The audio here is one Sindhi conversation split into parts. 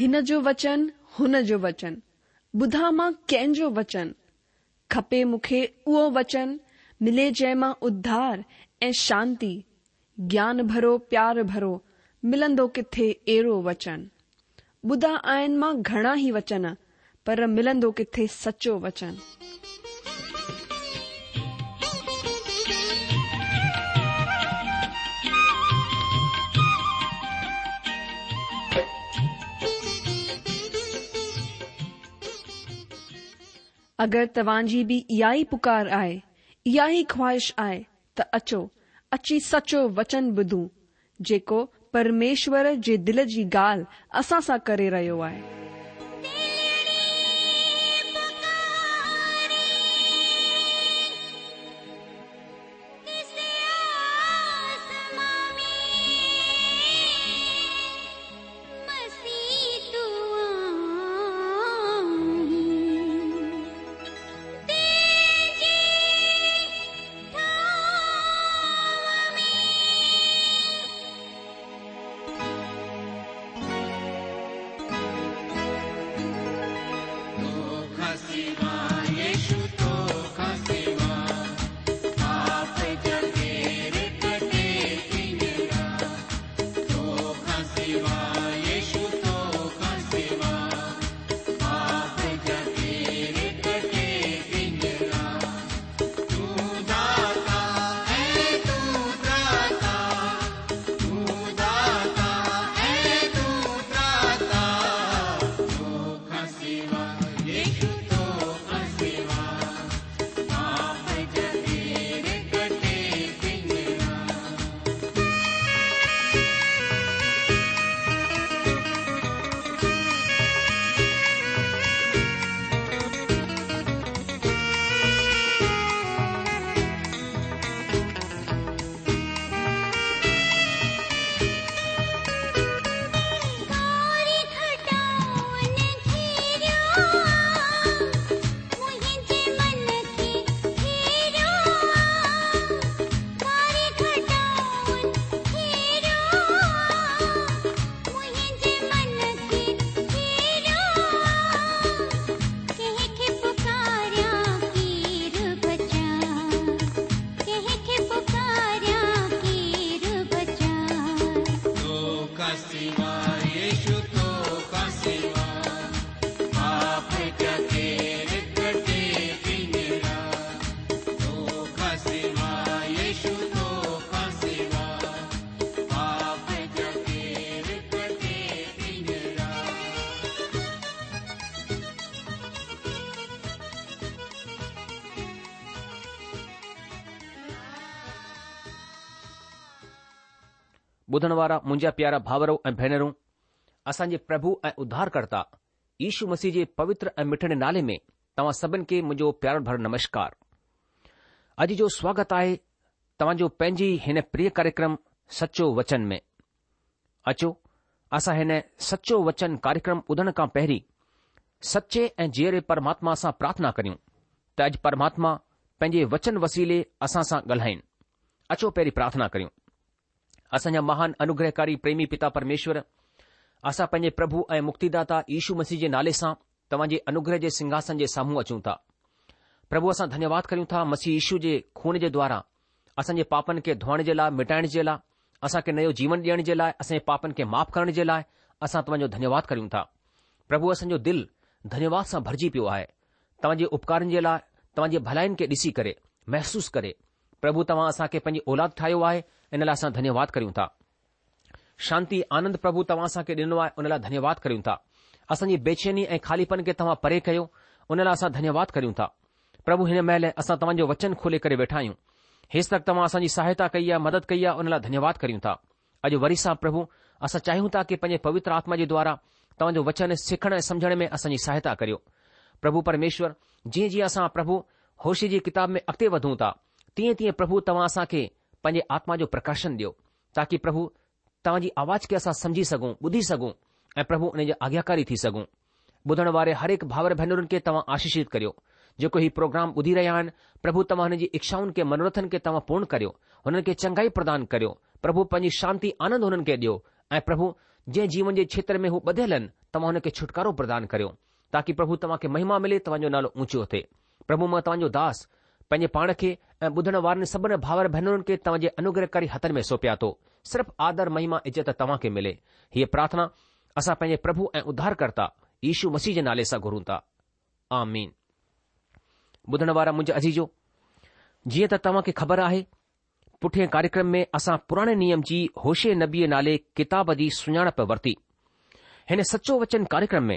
هن جو وچن، هن جو وچن، ٻڌان مان ڪنهن جو وچن؟ کپي مون کي اهو وچن، ملي جنهن مان اڌار ۽ شانتي، گيان ڀرو پيار ڀرو، ملندو ڪٿي اهڙو وچن؟ ٻڌا آهن مان گهڻا ئي وچن، پر ملندو ڪٿي سچو وچن؟ اگر توهان جي به اها ئي پڪار آهي، اها ئي خواهش آهي ته اچو، اچي سچو وچن ٻڌون، جيڪو پرميشور جي دل جي ڳالهه اسان سان ڪري رهيو آهي. ٻڌڻ وارا منهنجا پيارا ڀاورو ۽ ڀينرون، اسان جي پرڀو ۽ اڌارڪرتا يشو مسيح جي پوتر ۽ مٺڙي نالي ۾ توهان سڀن کي منهنجو پيار ڀريل نمشڪار. اڄ جو سواگت آهي توهان جو پنهنجي هن پريه ڪاريڪرم سچو وچن ۾. اچو اسان هن سچو وچن ڪاريڪرم ٻڌڻ کان پهرين سچي ۽ جيئري پرماتما سان پرارٿنا ڪريون ته اڄ پرماتما پنهنجي وچن وسيلي اسان سان ڳالهائين. اچو پهرين پرارٿنا ڪريون. اسان جا مهان انوگرهڪاري پريمي پتا پرميشور، اسان پنهنجي پرڀو ۽ مڪتيداتا يشو مسيح جي نالي سان توهان جي انوگرهه جي سنگهاسن جي سامهون اچون ٿا. پرڀو اسان ڌنيواد ڪريون ٿا مسيح يشو جي خون جي دوارا اسان جي پاپن کي ڌوئڻ جي لاء مٽائڻ جي لاء اسان کي نيو جيون ڏيڻ جي لاء اسان جي پاپن کي معاف ڪرڻ جي لاء اسان توهان جو ڌنيواد ڪريون ٿا. پرڀو اسان جو دل ڌنيواد سان ڀرجي پيو آهي توهان جي اپڪارن جي لاء توهان جي ڀلائين کي ڏسي ڪري محسوس ڪري پرڀو توهان اسان کي پنهنجي اولاد ٺاهيو آهي ان لاء اسان ڌنيواد ڪريون ٿا. شانتي آنند پرڀو توهان اسان کي ڏنو آهي ان لاء ڌنيواد ڪريون ٿا. اسان جي بيچيني ۽ خاليپن کي توهان پري ڪيو ان لاء اسان ڌنيواد ڪريون ٿا. پرڀو هن مهل اسان توهان جو وچن کولي ڪري ويٺا آهيون. هيستڪ توهان اسان جي سهائتا ڪئي آهي مدد ڪئي آهي ان لاء ڌنيواد ڪريون ٿا. اڄ وري سان پرڀو اسان چاهيون ٿا ڪي پنهنجي پوتر آتما جي دوارا توهان جو وچن سکڻ ۽ سمجهڻ ۾ اسان جي سهائتا ڪريو. پرڀو پرميشور جيئن جيئن اسان پرڀو هوشع جي ڪتاب ۾ اڳتي وڌون ٿا تيئن تيئن پرڀو توهان اسان کي پنهنجي آتما جو پرڪاشن ڏيو تاڪي پرڀو توهان جي آواز کي اسان سمجهي سگهون، ٻڌي سگهون ۽ پرڀو ان جا آگياڪاري ٿي سگهون. ٻڌڻ واري هر هڪ ڀائر ڀينرن کي توهان آشيشت ڪريو. جيڪو هي پروگرام ٻڌي رهيا آهن، پرڀو توهان هنن جي اڇائن کي منورٿن کي توهان پورن ڪريو، هنن کي چڱائي پردان ڪريو، پرڀو پنهنجي شانتي آنند هنن کي ڏيو ۽ پرڀو جنهن جيون جي کيتر ۾ هو ٻڌيل آهن، توهان هن کي ڇوٽڪارو پردان ڪريو، تاڪي پرڀو توهان کي مهما ملي، توهان جو نالو اونچو ٿئي. پرڀو مان توهان جو داس، پنهنجي پاڻ کي ۽ ٻڌڻ وارن سڀن ڀاور ڀينرن کي توهان جي انوگرهڪاري هٿن ۾ سونپيان ٿو. صرف آدر، مهما، عزت توهان کي ملي. هيء پرارٿنا اسان پنهنجي پرڀو ۽ اڌارڪرتا يشو مسيح جي نالي سان گهرون ٿا. آمين. ٻڌڻ وارا منهنجا عزيزو، جيئن ته توهان کي خبر آهي، پٺئين ڪاريڪرم ۾ اسان پراڻي نيم جي هوشع نبيء نالي ڪتاب جي سڃاڻپ ورتي. هن سچو وچن ڪاريڪرم ۾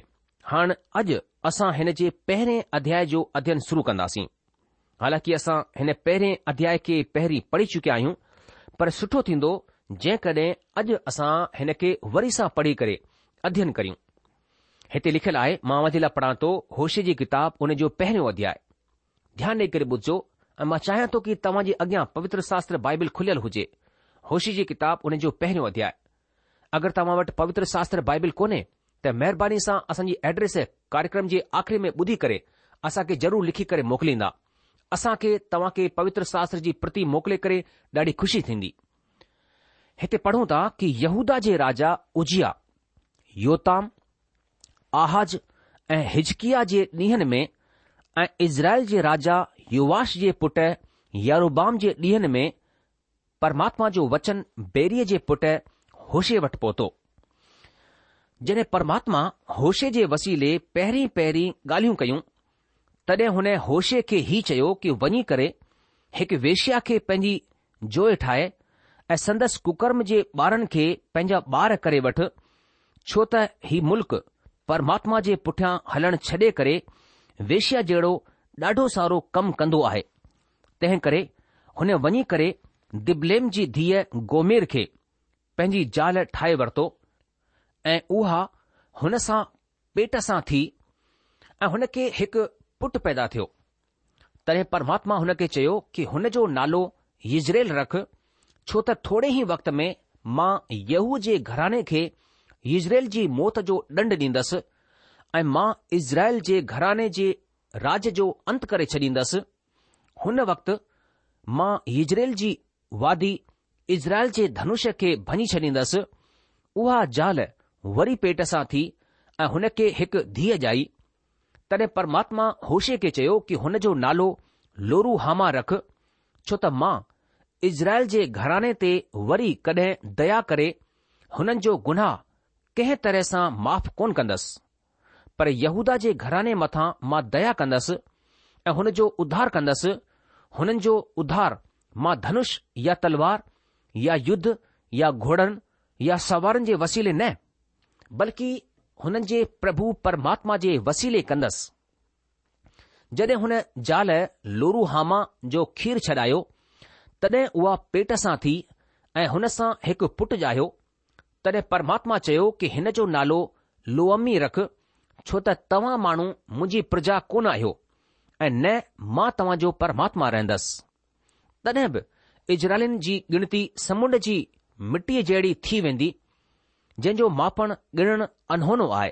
هاڻ اڄ اسان هن جي پهرين اڌياء جو اڌين شروع ڪنداسين. حالانڪه اسان هن پهرين اڌياء کي پهرين پڙهي چڪيا آهيون، پر سٺو ٿيندو جيڪڏهن اڄ اسان هن کي وري سان پڙهي ڪري اڌين ڪريون. هتي لکيل آهي، مان اوهان جي لاء پڙهان ٿو هوشع جي ڪتاب ان جو پهريون اڌياء. ڌيان ڏيئي ڪري ٻڌجو ۽ مان چاهيان ٿو ڪي توهان جي اڳيان پوتر شاستر بائبل کليل هجي. هوشع جي ڪتاب ان جو پهريون اڌياء. اگر توهان وٽ پوتر شاستر بائبل ڪونهي ته مهرباني سان اسان جي ايڊريس ڪاريڪرم جي آخري ۾ ٻڌي ڪري اسان کي ضرور لکي ڪري موڪليندا. اسان کي توهان کي پوتر شاستر جي پرتي موڪلي ڪري ڏاڍي خوشي ٿيندي. هتي پڙهون ٿا ڪي يهوداه جي راجا عزياه، يوتام، آحاز ۽ حزقياه جي ڏينهن ۾ ۽ اسرائيل جي راجا يوآش جي پٽ يربعام جي ڏينهن ۾ پرماتما جو وچن بيريء جي پٽ هوشع وٽ پهتو. جڏهن پرماتما هوشع جي وسيلي پهرين پهرين ڳالهيون ڪيون، تڏهن هن هوشع کي هي چيو ڪي وڃي ڪري هڪ ويشيا کي پنهنجي جوء ٺاهي ۽ سندس ڪڪرم جي ٻارن کي پنهنجا ٻار ڪري وٺ، ڇو ته هي ملڪ پرماتما جي پٺيان هلڻ ڇڏي ڪري ويشيا جهڙو ڏاڍو سارو ڪم ڪندو آهي. تنهن ڪري هن وڃي ڪري دبليم جي ڌيء گومير کي پنهنجي زال ٺاهي ورتو ۽ اها هن سان پيٽ سان ٿي ۽ هن کي هڪ پٽ پيدا ٿيو. تڏهن پرماتما هن کي چيو ڪي هن جو نالو يزريل رک، ڇو ته ٿوري ئي وقت ۾ مان ييهو جي گهراڻي کي يزريل جي موت جو ڏنڊ ڏيندس ۽ مان اسرائيل جي گهراڻي جي راڄ جو انت ڪري ڇڏيندس. هن وقت مان يزريل جي وادي اسرائيل جي ڌنش کي ڀڃي ڇڏيندس. اها زال وري پيٽ سان ٿي ۽ هن کي هڪ ڌيء ڄائي. تڏهن پرماتما هوشع کي چيو ڪي هن جو نالو لوروحاما رک، ڇو ته مان اسرائيل جي گهراڻي تي وري ڪڏهن ديا ڪري هنن جو گناهه ڪنهن طرح سان معاف ڪونه ڪندس. پر يهوداه جي گهراڻي مٿان مان ديا ڪندس ۽ هن جو اڌار ڪندس، هنن جو اڌار مان ڌنش يا تلوار يا يڌ يا گهوڙن يا سوارن جي وسيلي نه، بلڪ هنن جي پرڀو پرماتما جي وسيلي ڪندس. جڏهن هن زال لوروحاما جو کير ڇڏايو، تڏهن اها پيٽ سان ٿي ۽ هن سان هڪ پٽ ڄايو. تڏهن پرماتما چيو ڪي هن جو نالو لوعمي رک، ڇو ته توهان ماڻهو منهنجي پرجا ڪونه آهيو ۽ نه مان توهان جو پرماتما رهندس. تڏهن به اسرائيلين جي ڳڻتي سمنڊ جي مٽيء جهڙي ٿي ويندي، جنهن جو ماپڻ ڳڻڻ اڻهونو آهي.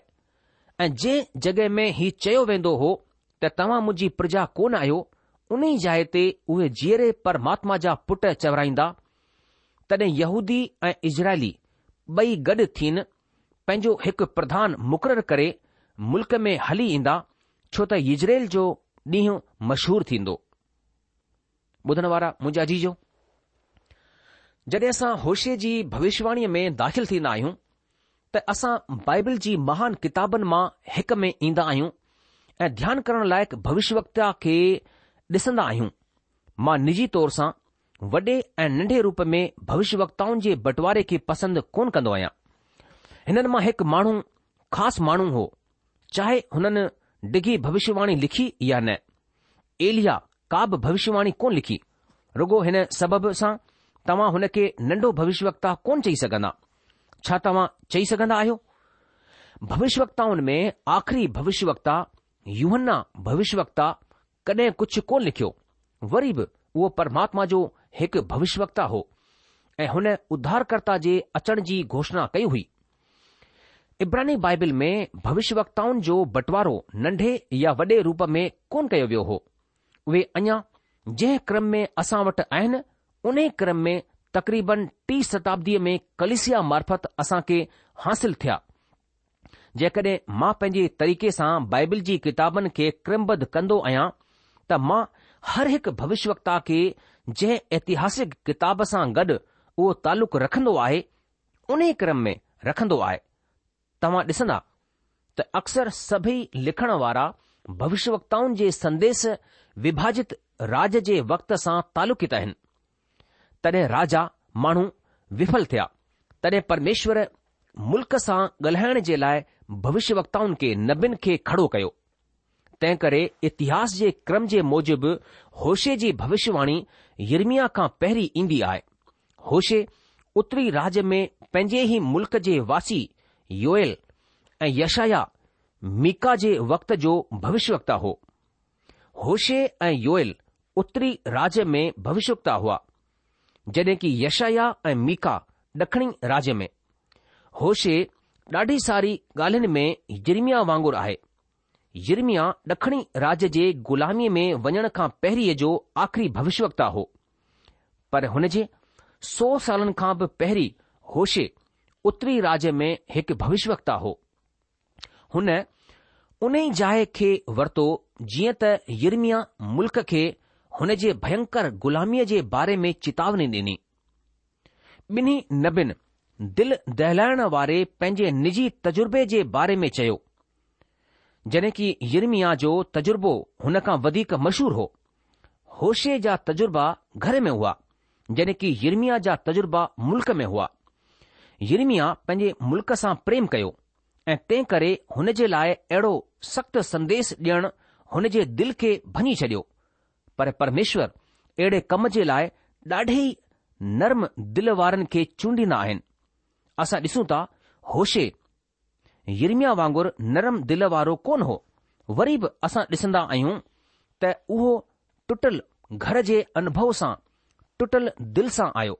۽ جنهن جڳهه ۾ هي چيو ويندو هو ته توهان منهنجي پرجا ڪونه آهيو، انهي جاء تي اهي جيئري پرماتما جا پٽ چورائيندا. تڏهن يهودي ۽ اسرائيلي ٻئي گڏ ٿين پنهنجو هڪ پرڌان مقرر ڪري ملڪ ۾ هلي ايندا، ڇو ته يزريل جو ڏينهن مشهور ٿيندو. ٻڌڻ وارا منهنجا عزيزو! جڏهن اسان هوشع جي ڀوشواڻيء ۾ داخل ٿيندا آهيون ته اسان بائبل جي مهان ڪتابن مان هڪ ۾ ايندا آهيون ۽ ڌيان ڪرڻ لائق ڀوشوڪتا کي ڏسندا آهيون. مان نجي طور سان وڏي ۽ ننڍي روپ ۾ ڀوشوڪتائن جي بٽواري کي پسند ڪونه ڪندو آهيان. هنن مان هڪ ماڻهو خاص ماڻهو هو، چاهي هنن ڊگهي ڀوشواڻي لکي يا نه. ايليا ڪا به ڀوشواڻي ڪونه لکي، رڳو هن سبب سان توهان هن کي ننڍو ڀوشوڪتا ڪونه چئي سگهندا. ڇا توهان چئي سگهندا آهيو؟ ڀوشوڪتائن ۾ آخري ڀوشوڪتا يوحنا ڀوشوڪتا ڪڏهن ڪجهه ڪونه لکيو، وري به اهو پرماتما جو هڪ ڀوشوڪتا هو ۽ هن اڌارڪرتا جي اچڻ جي گهوشڻا ڪئي هئي. عبراني بائبل ۾ ڀوشوڪتائن جو بٽوارو ننڍي يا وڏي روپ ۾ ڪونه ڪيو ويو هو. اهي اڃا جنهن ڪرم ۾ اسان وٽ آهن، انهي ڪرم ۾ تقريبن ٽي شتابديء ۾ ڪليسيا معرفت اسان کي حاصل ٿيا. جيڪڏهن مان پنهنجي طريقي سان بائبل جي ڪتابن کي ڪرمبڌ ڪندو آهيان ته مان هر هڪ ڀوشيوڪتا کي جنهن اتهاسڪ ڪتاب سان گڏ اهو تعلق رکندو آهي انهي ڪرم ۾ رکندو آهي. توهان ڏسندا ته اڪثر سڀئي لکڻ وارا ڀوشيوڪتائن جي سنديس وڀاجت راڄ جي وقت سان تعلقيت آهن. تڏهن راجا ماڻهو وڦل ٿيا، تڏهن پرميشور ملڪ سان ڳالهائڻ جي لاء ڀوشيوڪتائن کي، نبين کي کڙو ڪيو. تنهنڪري اتهاس جي ڪرم جي موجب هوشع جي ڀوشيواڻي يرمياه کان پهرين ايندي آهي. هوشع اتري راڄ ۾ پنهنجي ئي ملڪ جي واسي يوئيل ۽ يشعيا ميڪا جي وقت جو ڀوشيوڪتا هو. هوشع ۽ يوئيل اتري راڄ ۾ ڀوشيوڪتا هئا، جڏهن ڪي يشعيا ۽ ميڪا ڏکڻي راڄ ۾. هوشع ڏاڍي ساري ڳالهين ۾ يرمياه وانگر آهي. يرمياه ڏکڻي راڄ جي غلاميء ۾ وڃڻ کان پهرين جو آخري ڀوشيوڪتا هو. پر هن جي سو سالن کان به پهرين هوشع اتري راڄ ۾ هڪ ڀوشيوڪتا هو. هن انهي جاء کي ورتو جيئن ته يرمياه ملڪ کي هن جي ڀينڪر غلاميء جي باري ۾ چتاوني ڏني. ٻنهي نبين دل دهلائڻ واري پنهنجي نجي تجربي جي باري ۾ چيو. جڏهن ڪي يرمياه جو تجربو هن کان وڌيڪ مشهور هو. هوشع جا تجربا گهر ۾ هئا، جڏهن ڪي يرمياه جا تجربا ملڪ ۾ هئا. يرمياه پنهنجي ملڪ سان پريم ڪيو ۽ تنهن ڪري هن جي لاء اهڙو سخت سنديس ڏيڻ هن جي دل کي ڀڃي ڇڏيو. پر پرميشور اهڙي ڪم جي لاء ڏاڍي ئي نرم دل وارن کي چونڊيندا آهن. اسان ڏسون ٿا هوشع يرمياه وانگر نرم دل وارو ڪونه هو. وري به اسان ڏسندا آهيون ته اهو ٽٽل گهر جي انڀو سان ٽٽل دل سان آيو.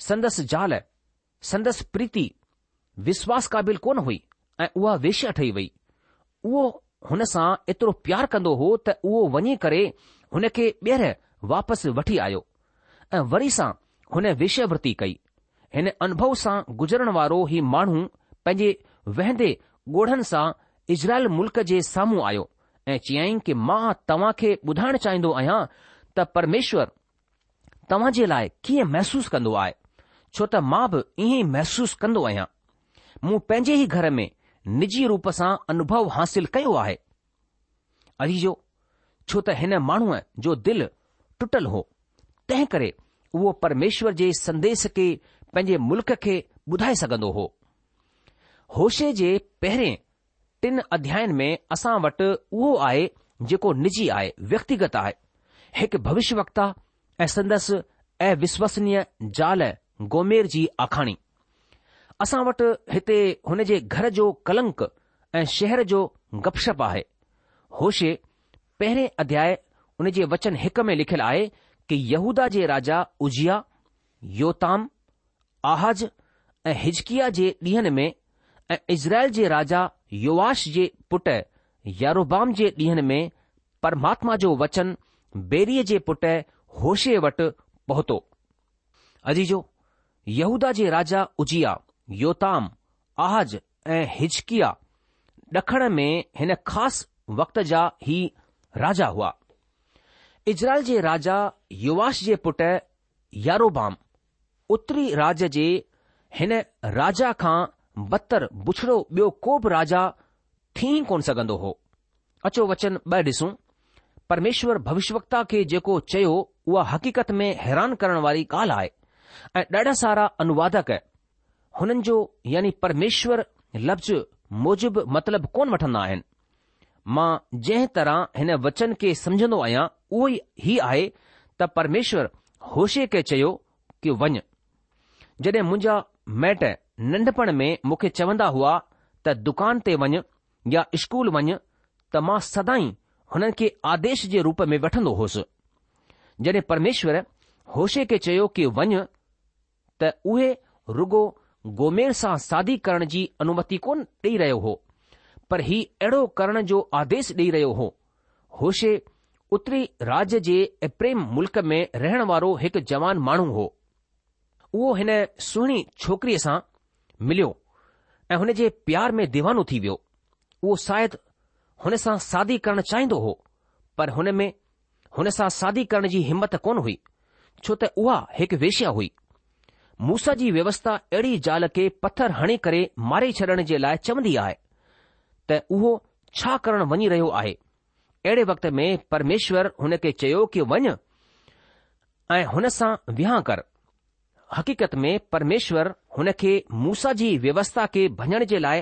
سندس زال، سندس پريتي، وشواس قابل ڪونه هئي ۽ اها ويشيا ٺهي وئي. اهو هن سان ايترو پيار ڪندو هو ته اهو وڃي ڪري هن کي ٻيهر واپس وٺي آيو ۽ وري سان هن ويشيا ورتي ڪئي. هن انڀو سان گذرڻ وارو هي ماڻهو پنهنجي وهندي ڳوڙهن سان اسرائيل ملڪ جي سامهون آيو ۽ چيائين ڪي مان توهان کي ٻڌائڻ چاهيندو آهيان ته پرميشور توهان جي لاء ڪيئن محسوس ڪندو آهي، ڇو ته مان به ائين ئي محسوس ڪندو آهيان. مون پنهنجي ئي گهر ۾ نجي روپ سان انوڀو حاصل ڪيو آهي. عزيزو، ڇو ته هن ماڻهوء جو دل ٽٽل هو، تنهن ڪري اهو پرميشور جي سنديس کي پنهنجي ملڪ کي ٻڌائي سگهندو هو. هوشع جي پهرين ٽن اڌيائن ۾ اسان وٽ اهو آهي جيڪو نجي آهي، ويڪتيگت آهي. هڪ ڀوشيه وڪتا ۽ سندس اوشوسنيه زال گومير جي آکاڻي. اسان وٽ هتي هن جي گهر جو ڪلنڪ ۽ شهر جو گپ شپ آهي. هوشع پهرين اڌياء ان جي وچن هڪ ۾ لکيل آهي ڪي يهوداه جي راجا عزياه، يوتام، آحاز ۽ حزقياه جي ڏينهن ۾ ۽ اسرائيل جي راجا يوآش جي پٽ يروبعام جي ڏينهن ۾ پرماتما جو وچن بيريء جي پٽ هوشع وٽ پهتو. عزيزو! يهوداه جي راجا عزياه، يوتام، آحاز ۽ حزقياه ڏکڻ ۾ هن خاص وقت جا هي راجا هئا. اسرائيل جي راجا يوآش جي پٽ يروبعام اتري راڄ جي هن راجا کان بدتر بڇڙو ٻيو ڪو به راجا ٿي ئي ڪونه سگهندو هو. اچو وچن ٻه ڏسون. پرميشور ڀوشيوڪتا کي جيڪو چيو اها حقيقت ۾ حيران ڪرڻ واري ڳالهه آهي ۽ ڏاڍا سارا انوادڪ هنن جو يعني پرميشور لفظ موجب مطلب ڪونه وٺندا آهن. مان جنهن طرح هن وچن کي سمجهندو آهيان اهو هي آهي ته پرميشور هوشع کي چيو ڪي وڃ. جڏهن منهنجا مائٽ ننڍپڻ ۾ مون کي چوندا هئا ته دڪان تي وڃ يا اسڪول وڃ ته مان سدائين هنن کي آديش جي روپ ۾ وٺندو هوس. جڏهن پرميشور هوشع کي چيو ڪي وڃ ته اهي رڳو گومير سان شادي ڪرڻ جي انومتي ڪونه ڏئي رهيو هو، پر هي اهڙو ڪرڻ جو آديش ڏئي رهيو هو. هوشع اتري راڄ جي ايپريم ملڪ ۾ رهڻ وارو هڪ جوان ماڻهو هو. اهو هن سهڻي ڇوڪريء سان مليو ۽ هن جي پيار ۾ ديوانو ٿي ويو. اهو شايد هن سان شادي ڪرڻ چاهيندو هو، پر هن ۾ هن سان شادي ڪرڻ جي همت ڪونه هئي، ڇو ته اها هڪ ويشيا هئي. موسيٰ جي ويوسٿا اهڙي زال کي پٿر هڻي ڪري ماري ڇڏڻ جي لاء چوندي آهي ته اهو ڇا ڪرڻ وڃي رهيو آهي. اهڙي وقت ۾ پرميشور هن کي چيو ڪي وڃ ۽ هن سان وهانء ڪر. حقيقت ۾ پرميشور هن کي موسيٰ جي ويوسٿا کي ڀڃڻ جي لاء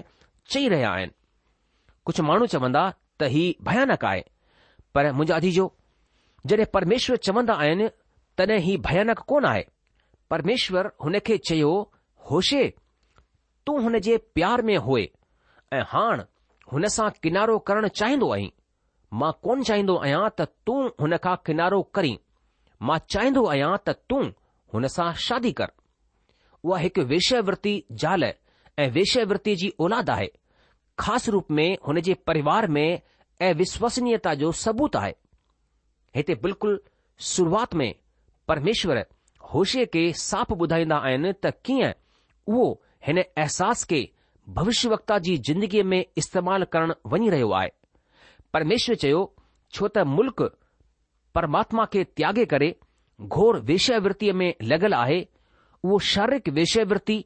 چئي رهيا آهن. ڪجهه ماڻهو چوندا ته هي ڀيانڪ آهي، پر منهنجا عزيزو، جڏهن پرميشور چوندا آهن تڏهن هي ڀيانڪ ڪونه آهي. پرميشور هن کي چيو، هوشي، تون هن جي پيار ۾ هئي ۽ هاڻ هن سان ڪنارو ڪرڻ چاهيندو آهين. مان ڪونه چاهيندو آهيان ته تون هن کان ڪنارو ڪرين، مان چاهيندو آهيان ته تون هن سان شادي ڪر. اها هڪ ويشياورتي زال ۽ ويشياورتي جي اولاد آهي. خاص روپ ۾ هن جي پريوار ۾ اوشوسنيتا جو ثبوت آهي. هتي بلڪل شروعات ۾ پرميشور هوشي کي صاف ٻڌائيندا آهن ته ڪيئن اهو هن احساس کي ڀوشيه وڪتا جي زندگيء ۾ استعمال ڪرڻ وڃي رهيو آهي. پرميشور چيو، ڇو ته ملڪ پرماتما کي تياڳي ڪري گهور ويشياورتيء ۾ لڳل آهي، اهو شاريرڪ ويشياورتي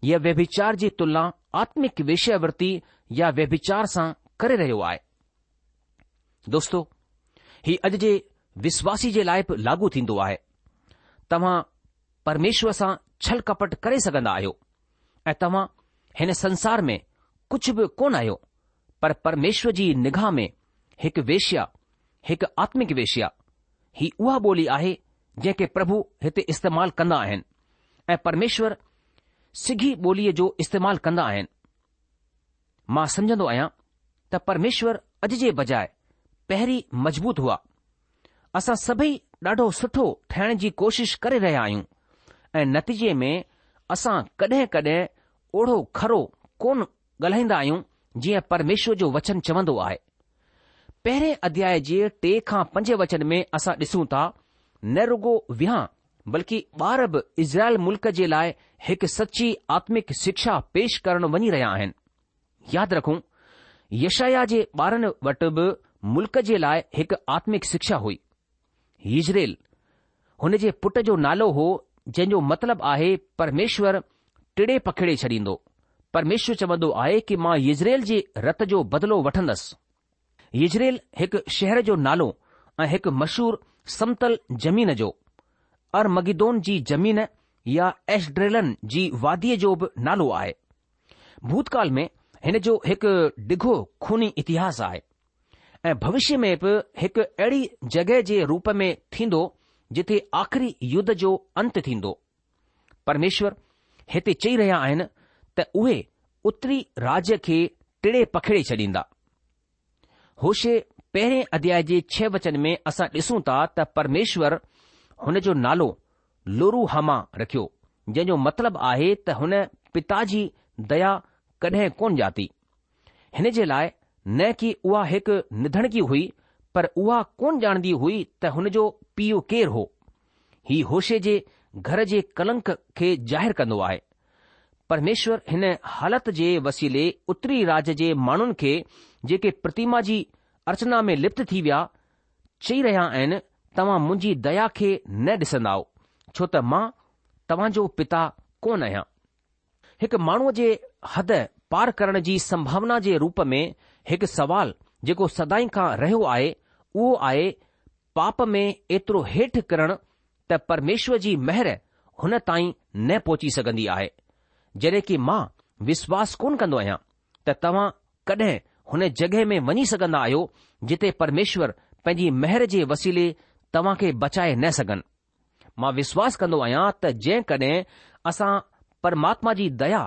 يا ويڀچار جي تلنا آتمڪ ويشياورتي يا ويڀچار سان ڪري رهيو آهي. دوستو، هي اڄ جي وشواسي جي لاء به لاڳو ٿيندو آهي. توهان پرميشور سان ڇل ڪپٽ ڪري سگهندا آهيو ۽ توهان هن سنسار ۾ ڪجهه به ڪونه آهيو پر پرميشور جي نگاهه ۾ هڪ ويشيا، هڪ آتمڪ ويشيا. هي اها ٻولي آهي جنهن کي پرڀو هتي استعمال ڪندا آهن ۽ پرميشور سگهي ٻوليء جو استعمال ڪندا آهن. مان سمجهندو آهيان ته پرميشور اڄ جي بجاء پهرين مضبوط هئا. اسان سڀئي ڏاڍو سٺو ٺهڻ جي ڪوشش ڪري رهيا آهيون ۽ نتيجي ۾ اسان ڪڏهن ڪڏهن اوڙو کرو ڪونه ڳالهائيندا آهيون جيئن پرميشور جو وچن چوندو آهي. پهرين اڌياء جي ٽي کان پنج وچن ۾ اسان ڏسون ٿا نه رڳو وهانء بلڪه ٻار به اسرائيل ملڪ جي لاء هڪ سچي آتمڪ شکشا پيش ڪرڻ وڃي رهيا آهن. ياد رکون، يشعيا جي ٻارن وٽ به ملڪ جي لاء هڪ آتمڪ شکشا هئي. يزريل هن جي پٽ جو نالو هو جنهن جو مطلب آهي پرميشور ٽڙي پکيڙي ڇڏيندو. پرميشور چوندو آهي ڪي مان يزريل جي رت جو بدلو وٺندس. يزريل هڪ شهر جو نالو ۽ هڪ مشهور سمتل زمين جو، ارمگدون جي زمين يا ايسڊريلن جي واديء جو به نالو آهي. ڀوتڪال ۾ هن جو هڪ ڊگهو خوني اتهاس آهي ۽ ڀوشيه ۾ به هڪ اهڙي جڳهه جي روپ ۾ ٿيندو جتي آخري يڌ جو انت ٿيندو. پرميشور هتي چئي رهيا آهن ته اهي اتري راجيه کي ٽڙي پکيڙي ڇڏيندا. هوشع پهرين اڌياء جي ڇهه وچن ۾ اسان ڏسون ٿا ته پرميشور هن جو نالو لوروحاما رکيو، جنهن جو مطلب آهي ته هن پتا جي ديا ڪڏهن ڪونه ڄاتي. هن جي لاء نه ڪي اها هڪ نڌڻڪي هئي، پر اها ڪونه ڄاڻندي هئي ته هن جو پيء ڪير هو. هي هوشع جي گهر جي ڪلنڪ کي ظاهر ڪندو آهي. پرميشور هن حالت جي وسيلي اتري راج جي ماڻهن کي جيڪي پرتيما جي ارچنا ۾ لپت ٿي ويا، چئي رهيا آهن، توهان منهنجي ديا کي نه ڏسندائو، ڇو ته مان توهان جو پتا ڪونه آهيان. هڪ ماڻهوء جي حد پار ڪرڻ جي سنڀاونا جي روپ ۾ هڪ سوال جيڪو سدائين کان رهيو آهي، اهو آهي پاپ ۾ ايترو هيٺ ڪرڻ ته پرميشور جي مهر هن تائين نه پهچي سگهندي آهي. جڏهن ڪي مان وشواس ڪونه ڪندو آهيان ته توهان ڪڏهن هن جڳهه ۾ وڃي سگهندا آهيو جتي پرميشور پنهنجي مهر جي وسيلي توهان کي بچائي نه سگهن. مان وشواس ڪندو آهيان ته جيڪڏهن اسان پرماتما جي ديا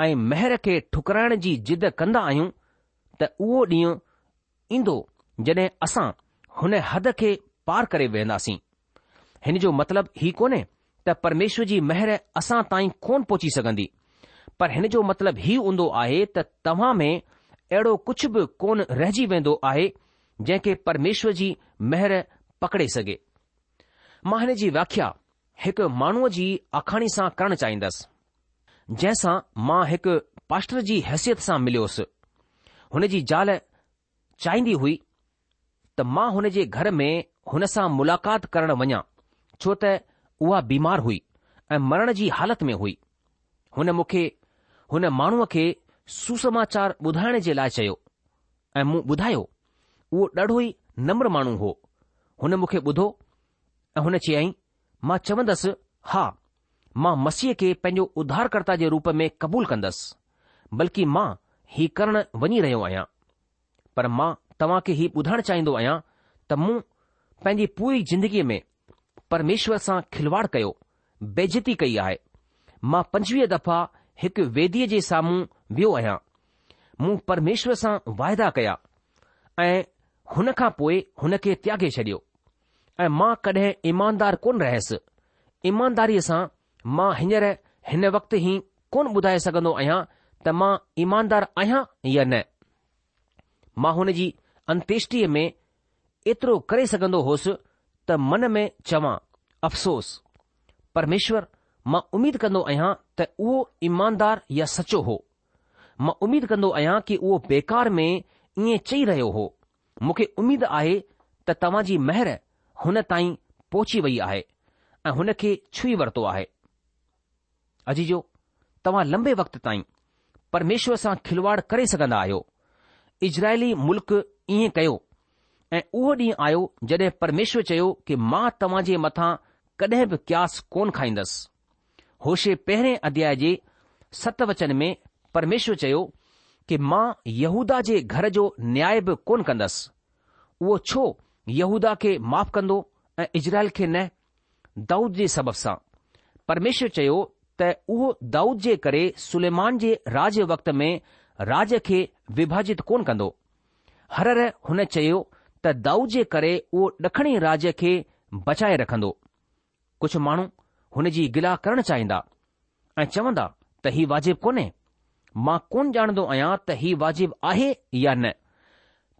۽ مهر کي ٺڪرائڻ جي ضد ڪندا آهيون ته اهو ڏينهن ايندو جڏهن اسان هن حد کي پار ڪري وينداسين. هن جو مطلب هي ڪونهي ته پرميشور جي مهر اسان تائين ڪونه پهچي سگهندي، پر هن جو مطلب هي هوندو آهي ته توهان ۾ اهڙو ڪجهه به ڪونه رهجي ويندو آهي جنهن کي پرميشور جي مهر پڪڙي سگهي. مان هن جي وياکيا هڪ ماڻهوء جي آکاڻي سان ڪرڻ چاهيندس، جنهن سان مان هڪ پاسٽر جي حيثيت سان مليوس. هن جي زال چاهيندي هئي ته مان هن جي گهر ۾ هن سان ملاقات ڪرڻ وڃان ڇو ته اها بيمار هئي ۽ مرڻ جي حالت ۾ هئي. هن مون کي هن ماڻهوء کي سوسماچار ٻڌائڻ جي لاء چيو ۽ مون ٻڌايو. اهو ڏاڍو ئي نمر ماڻهو هو. هن مون کي ٻڌو ۽ هن چيائين، مان چوندس، ها، مان مسيح کي پنهنجو اڌارڪرتا جي روپ ۾ قبول ڪندس، بلڪه مان هي ڪرڻ وڃي رهيو آهيان. پر مان توهان کي هي ٻڌائڻ چاهيندو آهيان ته مون پنهنجي پوري زندگيء ۾ پرميشور سان کلواڙ ڪيو، بيعزتي ڪئي آهي. مان 25 دفعا هڪ ويديء جي سامهون ويو آهيان. مون پرميشور سان واعدا ڪيا ۽ هن کان پوء هن کي تياڳي ڇڏيو ۽ مان ڪڏهن ايماندار ڪونه رهيس. ايمانداريء سان مان هينئر هن وقت هي ڪونه ٻڌائي سگهندو آهيان ته مان ايماندار آهيان يا نه. مان هن جي انتيشٽيء ۾ ايترو ڪري سگهندو هوس ته من ۾ چوان، افسوس! پرميشور، مان اميد ڪندو آهيان ته اهو ايماندار يا سچو هو. مان اميد ڪندو آهيان ڪي اهو بيڪار ۾ ائين چئي رهيو هو. مون کي اميد آهي ته توهان جي مهر هن تائين پهچي وئي آهي ۽ هن کي ڇهي ورتو آهي. عزيزو، توهان لنبي وقت تائين پرميشور سان کلواڙ ڪري سگهندا آهيو. اسرائيلي ملڪ ائين ڪيو ۽ اهو ڏينهن آيو جڏهن پرميشور چيو ڪي مان توهان جي مٿان ڪڏهن به قياس ڪونه کائيندس. هوشع پهرين اڌياء جي ست وچن ۾ پرميشور چيو ڪي مان يهوداه جي گهر جو نياء به ڪونه ڪندس. اهو ڇو يهوداه کي معاف ڪندو ۽ اسرائيل کي نه؟ دائود جي سبب سان. پرميشور چيو ته اهو دائود جي ڪري سليمان جي راڄ وقت ۾ راڄ کي وڀاجت ڪونه ڪندو. هرهر هن چيو ته دائود جي ڪري اهو ڏکڻي راڄ کي بچائي رکندو. ڪجهه ماڻهو هن جي گلا ڪرڻ چاهيندا ۽ چوندا ته هي واجب ڪونهي. مان ڪونه ڄاڻندو آهيان ته هي واجب آهي يا نه،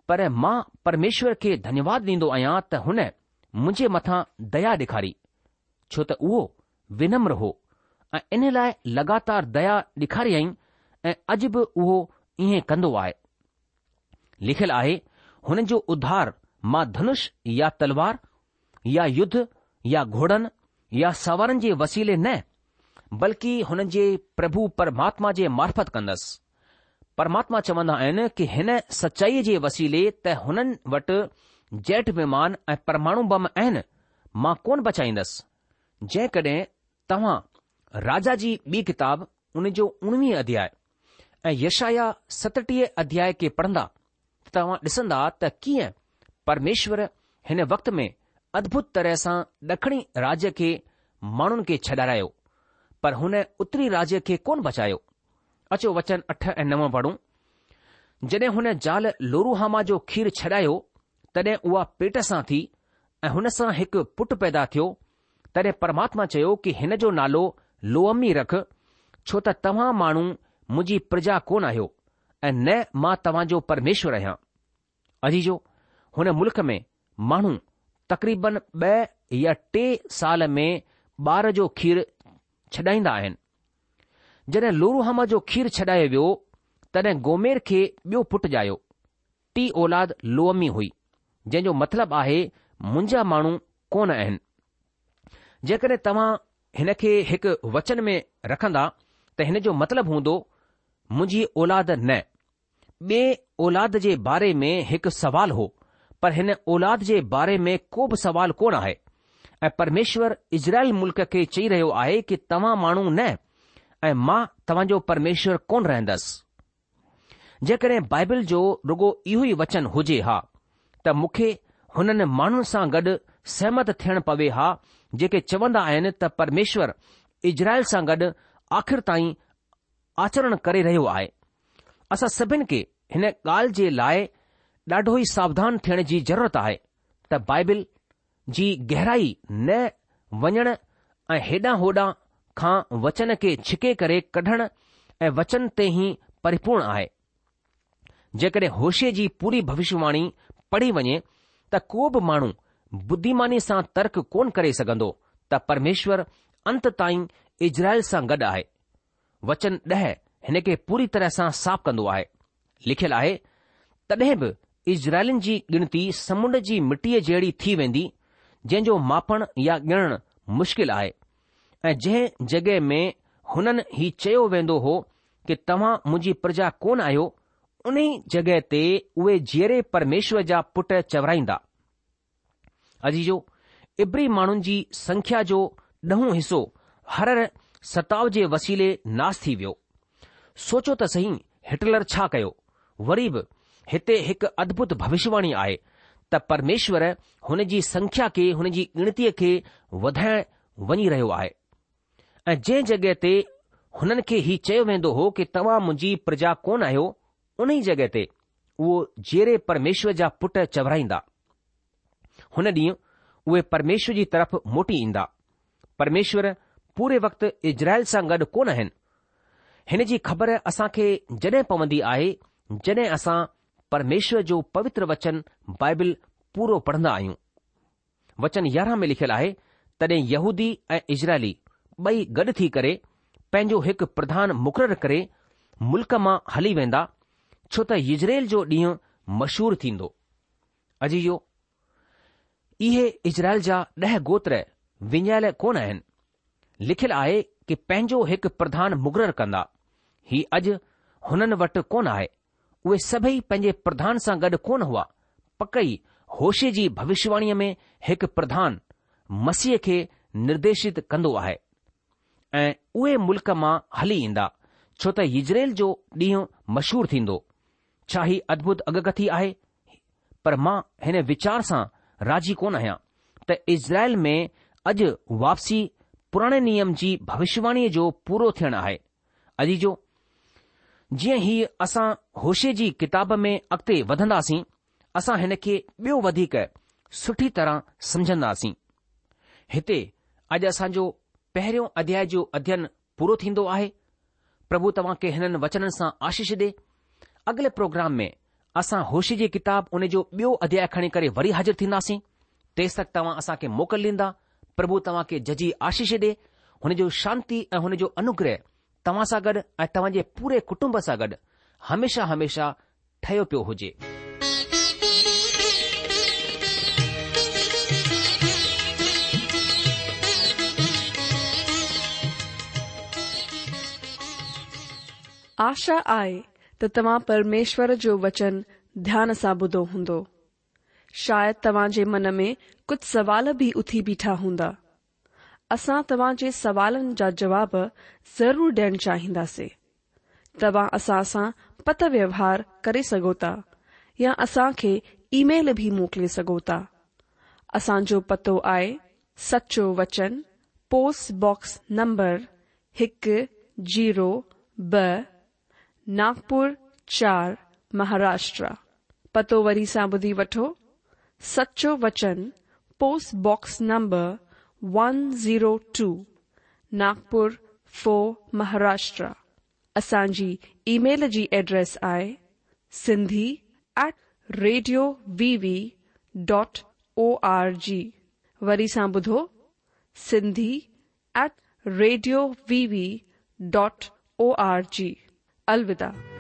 پر مان پرميشور کي ڌنيواد ڏيندو آهيان ته هن منهنجي مٿان ديا ڏيکاري، ڇو ته اهو ونمر هو ۽ ان لاء لڳاتار ديا ڏيکاريائين ۽ اڄ به اهو ائين ڪندو آهي. لکيل آهي، هنن جو اڌار مان ڌنش يا تلوار يا يڌ يا گهوڙن يا سوارن جي وسيلي نه، بلڪه هنن جي پرڀو پرماتما جي معرفت ڪندس. پرماتما چوندا آهن ڪي هن سچائيء جي وسيلي ته هنن وٽ جيٽ ومان ۽ پرماڻو بم آهن، مان ڪونه بچائيندس. جيڪڏهن توهان راجا جي ٻي ڪتاب ان جو اڻويهه اڌياء ۽ يشعيا 37 اڌياء کي پڙهندا ته توهان ڏسندا ته ڪيئن پرميشور هن وقت ۾ ادڀت طرح سان ڏکڻي راجيه کي ماڻهن کي ڇڏارايو، پر هن اتري راجيه کي ڪونه بچايو. اچو وچن 8 ۽ 9 پڙهون. جڏهن هن زال لوروهاما جو کير ڇڏايو، تڏهن اها پيٽ سان ٿي ۽ هن سان هڪ پٽ پيدا ٿيو، تڏهن پرماتما چيو ڪي هن جو نالو لوعمي رک، ڇو ته توهان ماڻهو منهنجي پرجا ڪونه آهيو ۽ نه مان توهان جو پرميشور آهيان. عزيزو! هن ملڪ ۾ ماڻهو تقريبن ٻه يا ٽي سال ۾ ٻار جو کير ڇڏائيندا آهن. جڏهن لوروهاما جو کير ڇڏايو ويو، تڏهن گومير کي ٻيو پٽ ڄايو. ٽي اولاد لوعمي هئي، جنهن جو مطلب آهي منهنجا ماڻهو ڪونه آهن. جيڪڏهن توهان هن کي هڪ وچن ۾ رکندا ته هن جو مطلب هوندو منهنجي اولاد نه. ٻئي اولاد جي باري ۾ هڪ سوال هو، پر هن اولاد جي باري ۾ ڪو به سوال ڪونه آهي ۽ پرميشور اسرائيل ملڪ کي چئي رهيو آهي ڪي توهان ماڻهو نه ۽ مان توهان جو پرميشور ڪونه رهندس. جيڪڏهن بائبل جو رڳو اهو ئي وچن هجي ها ته مون کي هنن ماڻهن سان گڏ سهمت ٿيڻ پوي ها جيڪي چوندا آهن ته پرميشور اسرائيل سان گڏ آخر تائين آچرڻ ڪري رهيو آهي. اسان سڀن کي هن ڳالهه جي لاء ڏاڍو ئي ساوڌان ٿيڻ جي ضرورت آهي ته بائبل جي گهرائي نه وڃڻ ۽ هيڏانهن هوڏانهن کان وچن کي ڇڪي ڪري ڪڍڻ ۽ وچن تي ئي پريپورڻ آهي. جيڪڏهن هوشع جي پوري ڀوشيواڻي پڙهي وڃي ته ڪو به ماڻهو ٻڌيماني سان ترڪ ڪونه ڪري سگهندو ته پرميشور انت تائين اسرائيل سان گڏ آهي. وچن ڏهه هن کي پوري طرح سان صاف ڪندو آهي. لکيل آهي، تڏهن به اسرائيلين جي ڳڻتي سمنڊ جي مٽيء جهڙي ٿي ويندي، جنهن جو ماپڻ يا ڳڻڻ مشڪل آهي ۽ جنهن جڳهه ۾ هنن هي چيو ويندو هو ڪي توهان منهنجي پرجا ڪونه آهيو، انهي جڳهه تي اهي جيئري پرميشور جا پٽ چورائيندا. عزيزو! عبري ماڻهن جي سنکيا جو ڏهون حصو هر هر ستاء جي وسيلي ناس ٿي ويو. سوچو ته سهي هٽلر ڇا ڪيو؟ وري به هتي هڪ ادڀت ڀوشواڻي آهي ته پرميشور هن جي سنکيا کي هن جي ڳڻتيء کي وڌائڻ وڃي رهيو آهي. ۽ جنهن جڳهه تي هنن کي هي چيو ويندو هو ڪي توهان منهنجي پرجا ڪونه آهيو، انهي جڳهه تي اهو جيئري پرميشور جا پٽ چورائيندا. هن ڏينهن اهي پرميشور جي طرف موٽي ايندا. پرميشور پوري وقت اسرائيل سان گڏ ڪونه آهن. هن جي خبر اسان کي جڏهن پوندي آهي جڏهن اسان پرميشور جو پوتر وچن بائبل پورو پڙهندا آهيون. وچن 11 ۾ لکيل آهي، تڏهن يهودي ۽ اسرائيلي ٻئي گڏ ٿي ڪري پنهنجو هڪ پرڌان مقرر ڪري ملڪ مان هلي ويندا، ڇو ته يزرعيل جو ڏينهن مشهور ٿيندو. عزيزو! اهي اسرائيل جا ڏهه گوتر وڃايل ڪونه آهن. لکيل آهي ڪي پنهنجو هڪ پرڌان مقرر ڪندا. هي اڄ هنن وٽ ڪونه آهي. اهي سڀئي پنهنجي پرڌان سان گڏ ڪونه هئا. پڪ ئي هوشع جي ڀوشواڻيء ۾ هڪ پرڌان، مسيح کي نرديشت ڪندو آهي. ۽ اهي ملڪ مان هلي ايندا، ڇو ته يزرعيل جو ڏينهن مشهور ٿيندو. ڇا هي ادڀت اڳڪٿي آهي؟ پر مان هن ويچار سان راضي ڪونه آهيان ته اسرائيل ۾ اڄ واپسي پراڻي نيم جي ڀوشواڻيء جو پورو ٿيڻ آهي. عزيزو! جيئن ئي اسان هوشع جي ڪتاب ۾ اڳتي وڌنداسين، اسان هن کي ٻيو وڌيڪ سٺي طرح سمجهنداسين. هتي اڄ اسان جو پهريون اڌياء جو اڌين پورو ٿيندو آهي. پرڀو توهان کي هنن وچنن سان آشيش ڏي. اڳلي پروگرام ۾ اسان هوشع جي ڪتاب ان جو ٻيو اڌياء کڻي ڪري وري حاضر ٿينداسين. تيستڪ توهان اسان کي موڪل ڏيندا. پرڀو توهان کي ججهي آشيش ڏي. هن جو شانتي ۽ هن جو انوگره توهان سان گڏ ۽ توهان جي پوري ڪٽنب سان گڏ هميشه هميشه ٺهيو پيو هجي. آشا آهي ته توهان پرميشور جو وچن ڌيان سان ٻڌو هوندو. شايد توهان جي من ۾ ڪجهه سوال به اٿي بيٺا هوندا. اسان توهان جي سوالن جا جواب ضرور ڏيڻ چاهينداسين. توهان اسان سان پتر ويوهار ڪري سگهو ٿا يا اسان کي اي ميل به موڪلي سگهو ٿا. اسان جو پتو آهي سچو وچن پوسٽ باڪس نمبر هڪ زيرو ٻه ناگپور چار مهاراشٽرا. پتو وري سان ٻڌي وٺو سچو وچن post box number one zero two Nagpur four Maharashtra. اسان جي اي ميل جي ايڊريس آهي Sindhi at radio V V dot O R G وري سان ٻڌو Sindhi at radio V V dot O R G. الوداع.